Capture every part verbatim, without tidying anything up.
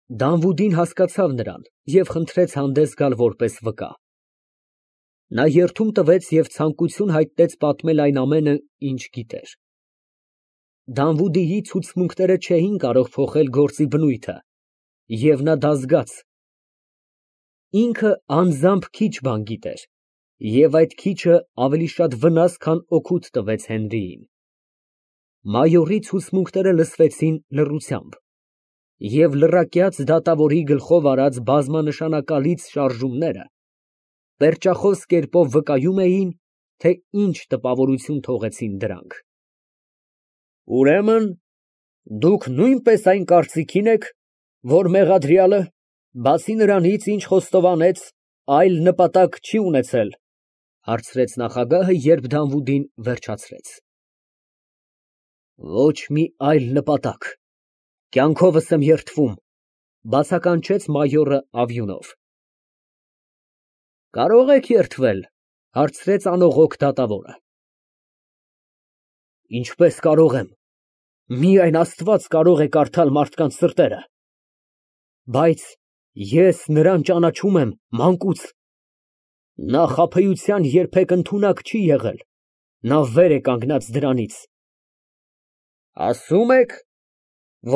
Դանվուդին հասկացավ նրան և խնդրեց հանդես գալ որպես վկա։ Նա երդում տվեց և ցանկություն հայտնեց պատմել այն ամենը, ինչ գիտեր։ Դանվուդիի ցուցմունքները չէին կարող փոխել գործի բնույթը, և նա դա զգաց։ Ինքը անձամբ քիչ բան գիտեր, և այդ քիչը ավելի շատ վնաս, քան օգուտ տվեց Հենրիին։ Մայորի ցուցմունքները լսվեցին լռությամբ, և լռակյաց դատավորի գլխով արած բազմանշանակալից շարժումները պերճախոս կերպով վկայում էին, թե ինչ տպավորություն թողեցին դրանք։ Ուրեմն դուք նույնպես այն կարծիքին եք, որ մեղադրյալը, բացի նրանից, ինչ խոստովանեց, այլ նպատակ չի ունեցել, ֊ հարցրեց նախագահը, երբ Դանվուդին վերջացրեց։ Ոչ մի այլ նպատակ, կյանքովս եմ երդվում, ֊ բացականչեց մայորը ավյունով։ Կարո՞ղ եք երդվել, ֊ հարցրեց անողոք դատավորը։ Ինչպես կարող եմ, միայն Աստված կարող է կարդալ մարդկանց սրտերը։ Բայց ես նրան ճանաչում եմ մանկուց. նա խաբեության երբեք ընդունակ չի եղել, նա վեր է կանգնած դրանից։ Ասում եք,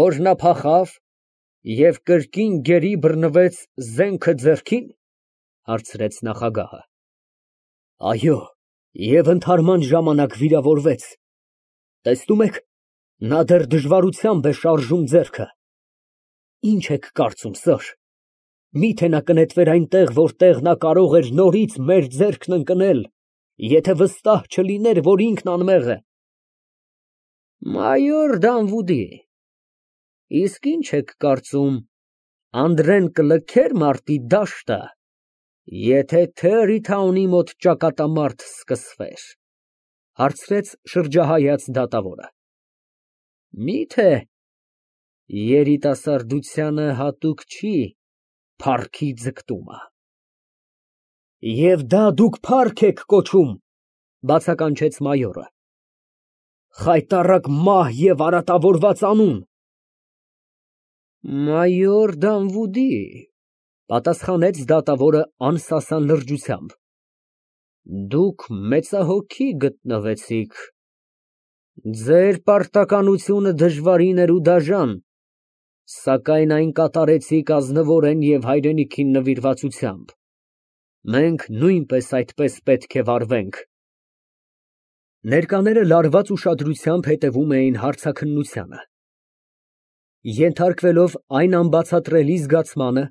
որ նա փախավ և կրկին գերի բռնվեց զենքը ձեռքին, ֊ հարցրեց նախագահը։ Այո, և ընդհարման ժամանակ վիրավորվեց։ Տեսնում եք, նա դեռ դժվարությամբ է շարժում ձեռքը։ Ինչ եք կարծում, սըր, միթե նա կնետվեր այնտեղ, որտեղ նա կարող էր նորից մեր ձեռքն ընկնել, եթե վստահ չլիներ, որ ինքն անմեղ է։ Մայոր Դանվուդի, իսկ ի՞նչ եք կարծում, Անդրեն կլքե՞ր մարտի դաշտը, եթե Թերիթաունի մոտ ճակատամարտ սկսվեր, ֊ հարցրեց շրջահայաց դատավորը։ Մի՞թե երիտասարդությանը հատուկ չի փառքի ձգտումը։ Եվ դա դուք փառք եք կոչում, ֊ բացականչեց մայորը։ Խայտառակ մահ և արատավորված անուն։ Մայոր Դանվուդի, ֊ պատասխանեց դատավորը անսասան լրջությամբ, դուք մեծահոգի գտնվեցիք, ձեր պարտականությունը դժվարին էր ու դաժան, սակայն այն կատարեցիք ազնվորեն և հայրենիքին նվիրվածությամբ, մենք նույնպես այդպես պետք է վարվենք։ Ներկաները լարված ուշադրությամբ հետևում էին հարցաքննությանը։ Ենթարկվելով այն անբացատրելի զգացմանը,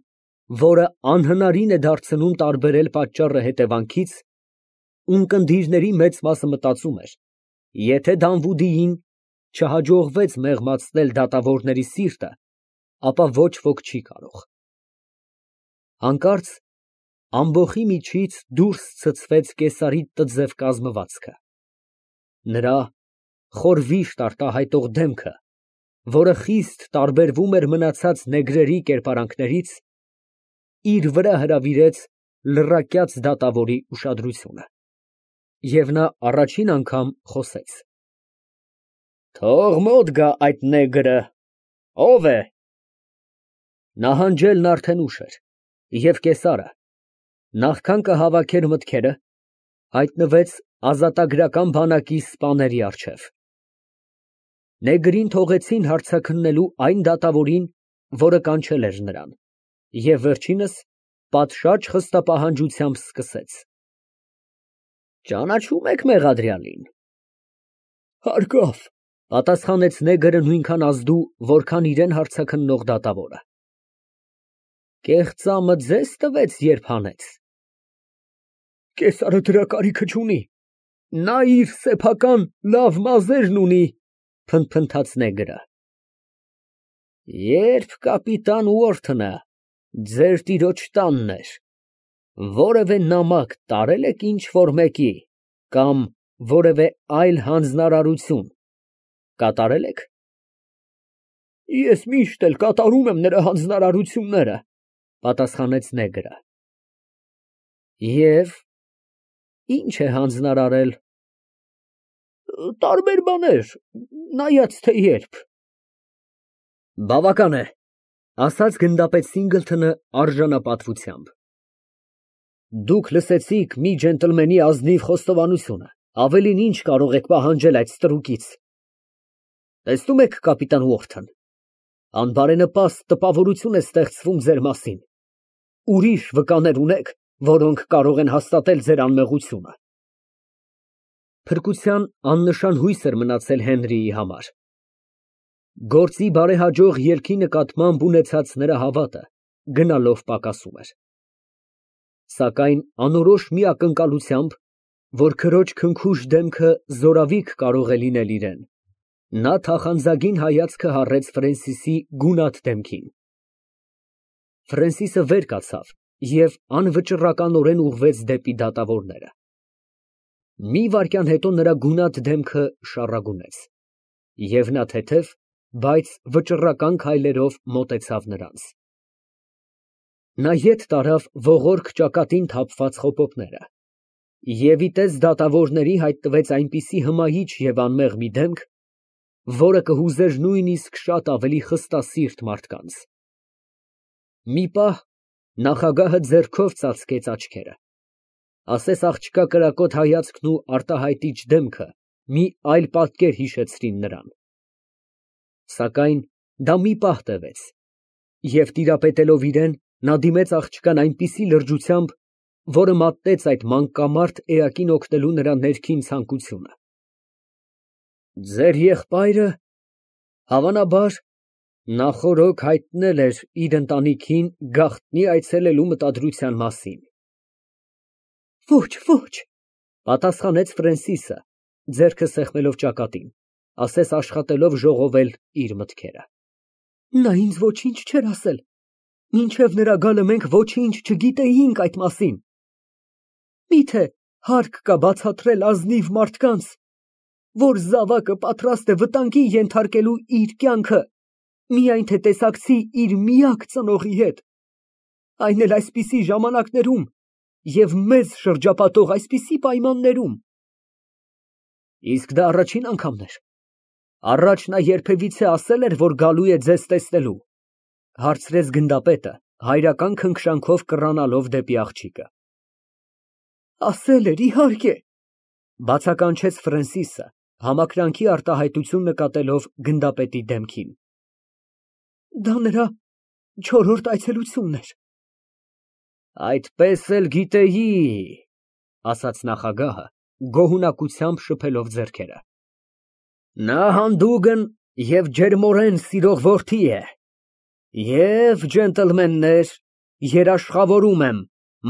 որը անհնարին է դարձնում տարբերել պատճառը հետևանքից, ունկնդիրների մեծ մասը մտածում էր. եթե Դանվուդիին չհաջողվեց մեղմացնել դատավորների սիրտը, ապա ոչ ոք չի կարող։ Հանկարծ ամբոխի միջից դուրս ցցվեց կեսարի տձև կազմվածքը։ Նրա խորհրդի արտահայտող դեմքը, որը խիստ տարբերվում էր մնացած նեգրերի կերպարանքներից, իր վրա հրավիրեց լռակյաց դատավորի ուշադրությունը, և նա առաջին անգամ խոսեց. Թող մոտ գա այդ նեգրը, ո՞վ է։ Նահանջելն արդեն ուշ էր, և կեսարը, նախքան կհավաքեր մտքերը, հայտնվեց ազատագրական բանակի սպաների առջև։ Նեգրին թողեցին հարցաքննելու այն դատավորին, որը կանչել էր նրան, և վերջինս պատշաճ խստապահանջությամբ սկսեց. Ճանաչո՞ւմ եք մեղադրյալին։ Հարկավ, ֊ պատասխանեց նեգրը նույնքան ազդու, որքան իրան հարցաքննող դատավորը։ Կեղծամը ձե՞զ տվեց, երբ հանեց։ Կեսարը դրա կարիքը չունի, նա իր սեփական լավ մազերն ունի, ֊ փնթփնթաց նեգրը։ Երբ կապիտան Ուորթնը ձեր տիրոջ տանն էր, որևէ նամակ տարե՞լ եք ինչ֊որ մեկի կամ որևէ այլ հանձնարարություն կատարե՞լ եք։ Ես միշտ էլ կատարում եմ նրա հանձնարարությունները, ֊ պատասխանեց նեգրը։ Եվ ի՞նչ է հանձնարարել։ Տարբեր բաներ, նայած թե երբ։ Բավական է, Ասաց գնդապետ Սինգլթոնը արժանապատվությամբ։ Դուք լսեցիք մի ջենտլմենի ազնիվ խոստովանությունը, ավելին ինչ կարող եք պահանջել այդ ստրուկից։ Տեսնում եք, կապիտան Ուորթոն, անբարենպաստ տպավորություն է ստեղծվում ձեր մասին, ուրիշ վկաներ ունե՞ք, որոնք կարող են հաստատել ձեր անմեղությունը։ Փրկության աննշան հույս էր մնացել Հենրիի համար։ Գործի բարեհաջող ելքի նկատմամբ ունեցած նրա հավատը գնալով պակասում էր։ Սակայն անորոշ մի ակնկալությամբ, որ քրոջ քնքուշ դեմքը զորավիք կարող է լինել իրեն, նա թախանձագին հայացքը հառեց Ֆրենսիսի գունատ դեմքին։ Ֆրենսիսը վեր կացավ և անվճռականորեն ուղղվեց դեպի դատավորները։ Մի վայրկյան հետո նրա գունատ դեմքը շառագունեց, և նա թեթև, բայց վճռական քայլերով մոտեցավ նրանց։ Նա ետ տարավ ողորկ ճակատին թափված խոպոպները և իտես դատավորների հայտնվեց այնպիսի հմայիչ և անմեղ մի դեմք, որը կհուզեր նույնիսկ շատ ավելի խստասիրտ մարդկանց։ Մի պահ նախագահը ձեռքով ծածկեց աչքերը, ասես աղջկա կրակոտ հայացքն ու արտահայտիչ դեմքը մի այլ պատկեր հիշեցրին նրան։ Սակայն դա մի պահ տևեց, և տիրապետելով իրան, նա դիմեց աղջկան այնպիսի լրջությամբ, որը մատնեց այդ մանկամարդ էակին օգնելու նրա ներքին ցանկությունը։ Ձեր եղբայրը, հավանաբար, նախօրոք հայտնել էր իր ընտանիքին գաղտնի այցելելու մտադրության մասին։ Ոչ, ոչ, պատասխանեց Ֆրենսիսը, ձեռքը սեղմելով ճակատին, ասես աշխատելով ժողովել իր մտքերը։ Նա ինձ ոչինչ չէր ասել, մինչև նրա գալը մենք ոչինչ չգիտեինք այդ մասին։ Միթե հարկ կա բացատրել ազնիվ մարդկանց, որ զավակը պատրաստ է վտանգի ենթարկելու իր կյանքը, միայն թե տեսակցի իր միակ ծնողի հետ, այն էլ այսպիսի ժամանակներում և մեզ շրջապատող այսպիսի պայմաններում։ Իսկ դա առաջին անգամն էր։ Առաջ նա երբևիցե ասել էր, որ գալու է ձեզ տեսնելու, հարցրեց գնդապետը, հայրական քնքշանքով կռանալով դեպի աղջիկը։ Ասել էր, իհարկե, բացականչեց Ֆրենսիսը, համակրանքի արտահայտություն նկատելով գնդապետի դեմքին։ Դա նրա չորրորդ այցելությունն էր։ Այդպես էլ գիտեի, ասաց նախագահը, գոհունակությամբ շփելով ձեռքերը։ Նա հանդուգն և ջերմորեն սիրող որդի է, և, ջենտլմեններ, երաշխավորում եմ,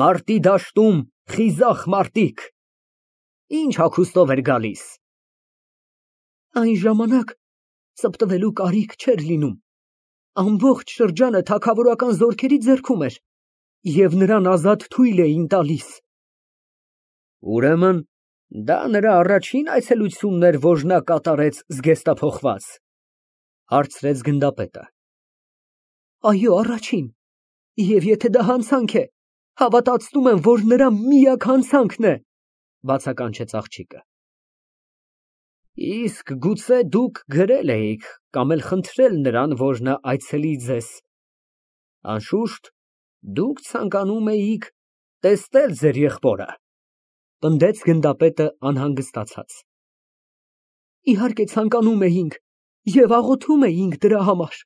մարտի դաշտում խիզախ մարտիկ, ինչ հագուստով էր գալիս։ Այն ժամանակ ծպտվելու կարիք չէր լինում, ամբողջ շրջանը թագավորական զորքերի ձեռքում էր, և նրան ազատ թույլ էին տալիս։ Ուրեմն դա նրա առաջին այցելությունն էր, որ նա կատարեց զգեստափոխված, հարցրեց գնդապետը։ Այո, առաջին, և եթե դա հանցանք է, հավատացնում եմ, որ նրա միակ հանցանքն է, բացականչեց աղջիկը։ Իսկ գուցե դուք գրել էիք կամ էլ խնդրել նրան, որ նա այցելի ձեզ։ Անշուշտ, դուք ցանկանում էիք տեսնել ձեր եղբորը, պնդեց գնդապետը անհանգստացած։ Իհարկե ցանկանում էինք և աղոթում էինք դրա համար։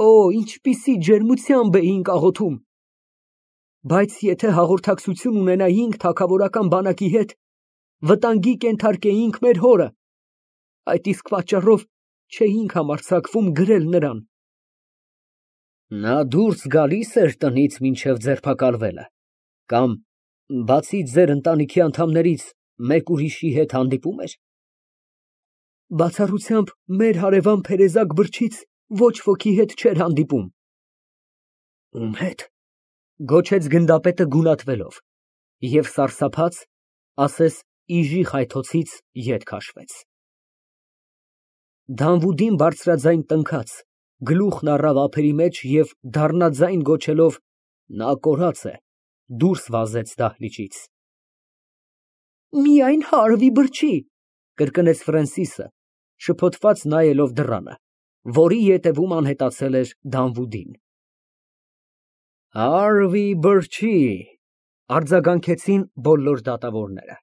Օ, ինչպիսի ջերմությամբ էինք աղոթում։ Բայց եթե հաղորդակցություն ունենայինք թագավորական բանակի հետ, վտանգի կենթարկեինք մեր հորը, այդ իսկ պատճառով չէինք համարձակվում գրել նրան։ Նա դուրս գալի՞ս էր տնից մինչև ձերբակալվելը, կամ բացի ձեր ընտանիքի անդամներից մեկ ուրիշի հետ հանդիպում էր։ Բացառությամբ մեր հարևան Փերեզակ Բրչից ոչ ոքի հետ չէր հանդիպում։ Ում հետ, գոչեց գնդապետը գունատվելով, և սարսափած, ասես իժի խայթոցից ետ քաշվեց։ Դանվուդին բարձրաձայն տնքաց, գլուխն առավ ափերի մեջ և դառնաձայն գոչելով «Նա կորած է», դուրս վազեց դահլիճից։ Միայն Հարվի Բրչի, կրկնեց Ֆրենսիսը, շփոթված նայելով դռանը, որի ետևում անհետացել էր Դանվուդին։ Արվի բրջի, արձագանքեցին բոլոր դատավորները։